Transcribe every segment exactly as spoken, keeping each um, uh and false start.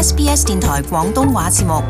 S B S 電台廣東話節目。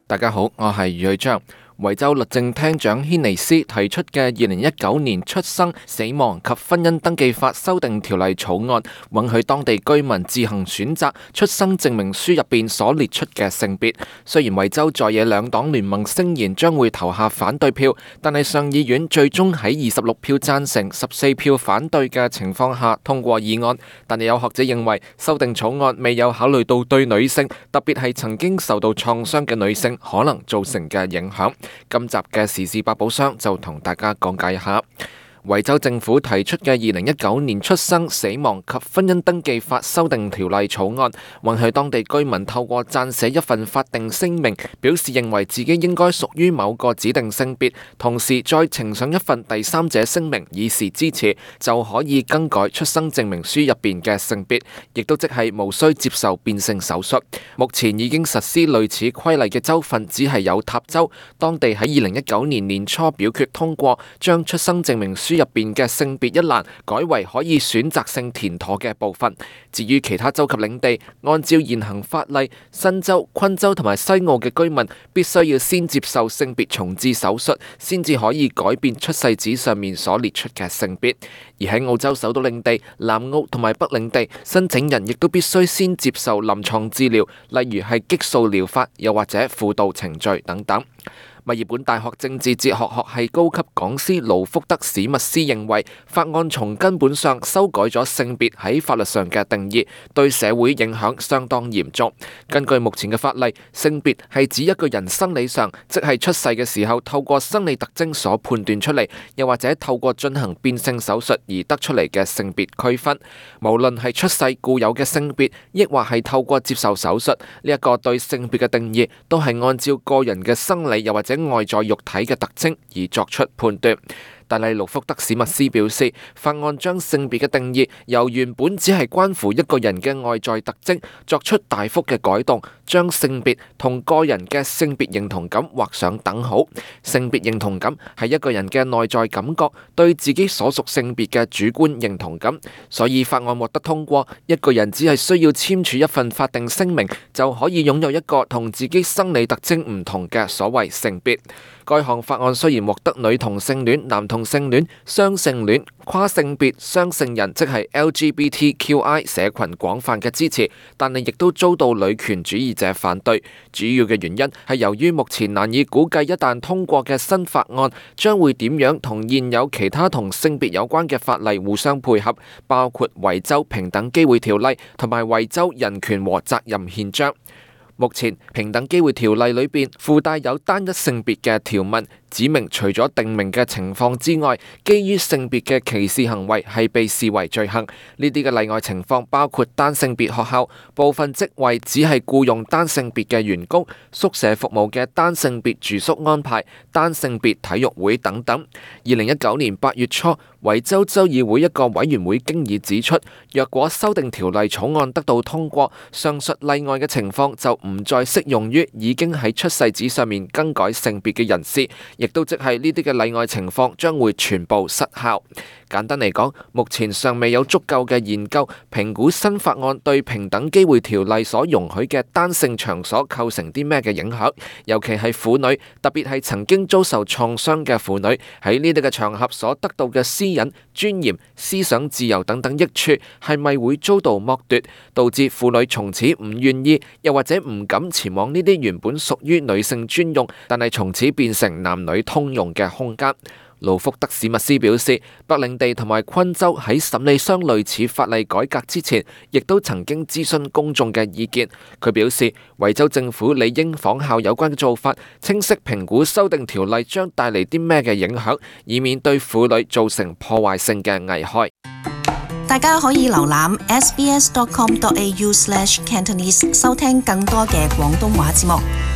大家好，我係余偉章。維州律政廳長軒尼斯提出嘅二零一九年出生、死亡及婚姻登記法修訂條例草案，允許當地居民自行選擇出生證明書入邊所列出嘅性別。雖然維州在野兩黨聯盟聲言將會投下反對票，但係上議院最終喺二十六票贊成、十四票反對嘅情況下通過議案。但係有學者認為，修訂草案未有考慮到對女性，特別係曾經受到創傷嘅女性可能造成嘅影響。今集嘅時事百寶箱就同大家講解一下。維州政府提出嘅二零一九年出生、死亡及婚姻登記法修訂條例草案，允許當地居民透過撰寫一份法定聲明，表示認為自己應該屬於某個指定性別，同時再呈上一份第三者聲明以示支持，就可以更改出生證明書入邊嘅性別，亦都即係無需接受變性手術。目前已經實施類似規例嘅州份只係有塔州，當地喺二零一九年年初表決通過，將出生證明書入邊嘅性別一欄改為可以選擇性填妥嘅部分。至於其他州及領地，按照現行法例，新州、昆州同埋西澳嘅居民必須要先接受性別重置手術，先至可以改變出世紙上面所列出嘅性別。而喺澳洲首都領地、南澳同埋北領地，申請人亦都必須先接受臨床治療，例如係激素療法，又或者輔導程序等等。墨爾本大學政治哲學學系高級講師盧福德史密斯認為，法案從根本上修改咗性別喺法律上嘅定義，對社會影響相當嚴重。根據目前嘅法例，性別係指一個人生理上，即係出世嘅時候透過生理特徵所判斷出嚟，又或者透過進行變性手術而得出嚟嘅性別區分。無論係出世固有嘅性別，亦或係透過接受手術，呢一個對性別嘅定義都係按照個人嘅生理又或者外在肉體嘅特徵而作出判斷。但係盧福德史密斯表示，法案將性別嘅定義由原本只係關乎一個人嘅外在特徵，作出大幅嘅改動，將性別同個人嘅性別認同感畫上等號。性別認同感係一個人嘅內在感覺，對自己所屬性別嘅主觀認同感。所以法案獲得通過，一個人只係需要簽署一份法定聲明，就可以擁有一個同自己生理特徵唔同嘅所謂性別。該項法案雖然獲得女同性戀、男同性戀、雙性戀、跨性別、雙性人即係 L G B T Q I 社群廣泛嘅支持，但係亦都遭到女權主義者反對。主要嘅原因係由於目前難以估計一旦通過嘅新法案將會點樣同現有其他同性別有關嘅法例互相配合，包括維州平等機會條例同埋維州人權和責任憲章。目前平等機會條例裏邊附帶有單一性別嘅條文，指明除咗定明嘅情況之外，基於性別嘅歧視行為係被視為罪行。呢啲嘅例外情況包括單性別學校、部分職位只係僱用單性別嘅員工、宿舍服務嘅單性別住宿安排、單性別體育會等等。二零一九年八月初，維州州議會一個委員會經已指出，若果修訂條例草案得到通過，上述例外嘅情況就唔再適用於已經喺出世紙上面更改性別嘅人士，亦都即係呢啲嘅例外情況將會全部失效。簡單嚟講，目前尚未有足夠嘅研究評估新法案對平等機會條例所容許嘅單性場所構成啲咩嘅影響，尤其係婦女，特別係曾經遭受創傷嘅婦女喺呢啲嘅場合所得到嘅私隱、尊嚴、思想自由等等益處，係咪會遭到剝奪，導致婦女從此唔願意，又或者唔敢前往呢啲原本屬於女性專用，但係從此變成男女通用嘅空間。盧福德史密斯表示，北領地同埋昆州喺審理相類似法例改革之前，亦都曾經諮詢公眾嘅意見。佢表示，維州政府理應仿效有關嘅做法，清晰評估修訂條例將帶嚟啲咩嘅影響，以免對婦女造成破壞性嘅危害。大家可以瀏覽 s b s dot com dot a u slash cantonese 收聽更多嘅廣東話節目。